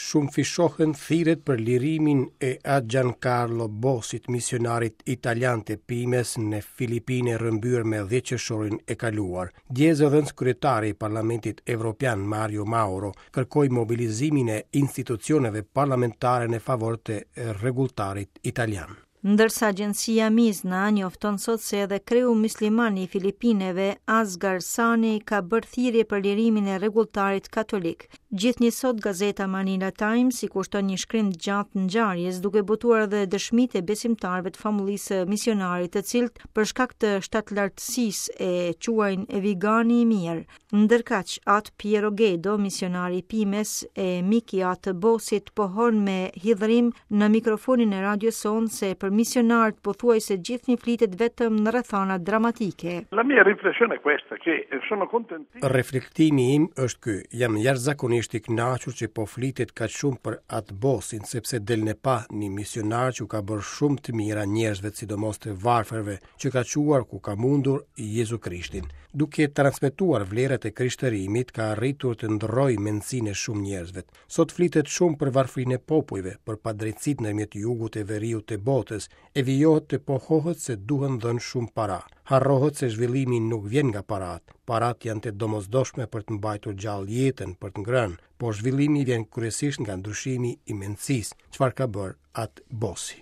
Shumëfishohen thirrjet për lirimin e At Giancarlo Bosit, misionarit italian të Pimes në Filipine rrëmbyer me 10 qershorin e kaluar. Dje zëvendëskryetari i Parlamentit Evropian Mario Mauro kërkoi mobilizimin e institucioneve parlamentare në favor të rregulltarit italian. Ndërsa agjencia Mizna njofton sot se edhe kreu mysliman i Filipineve, Asgar Sani, ka bërë thirrje për lirimin e rregulltarit katolik. Gjithnjë sot gazeta Manila Times i kushton një shkrim të gjatë ngjarjes, duke botuar edhe dëshmitë e besimtarëve të famullisë së misionarit, të cilët për shkak të shtatlartësisë e quajnë Vigani i mirë. Ndërkaq, At Piero Gedo, misionari i Pimes e mik i At Bosit, pohon me hidhërim në mikrofonin e radios sonë se për misionarët pothuajse gjithnjë flitet vetëm në rrethana dramatike. La mia riflessione è questa, che sono contentissimo. Reflektimi im është ky, jam jashtëzakonisht i kënaqur që po flitet kaq shumë për At Bosin, sepse del në pah një misionar që u ka bërë shumë të mira njerëzve, sidomos të varfërve, që ka çuar ku ka mundur Jezu Krishtin. Duke transmetuar vlerat e krishterimit, ka arritur të ndërrojë mendësinë e shumë njerëzve. Sot flitet shumë për varfërinë e popujve, për padrejtësitë ndërmjet jugut e veriut të botës, e vijohet të pohohet se duhen dhënë shumë para. Harrohet se zhvillimi nuk vjen nga paratë. Paratë janë të domosdoshme për të mbajtur gjallë jetën, për të ngrënë, por zhvillimi vjen kryesisht nga ndryshimi i mendësisë, çfarë ka bërë At Bosi.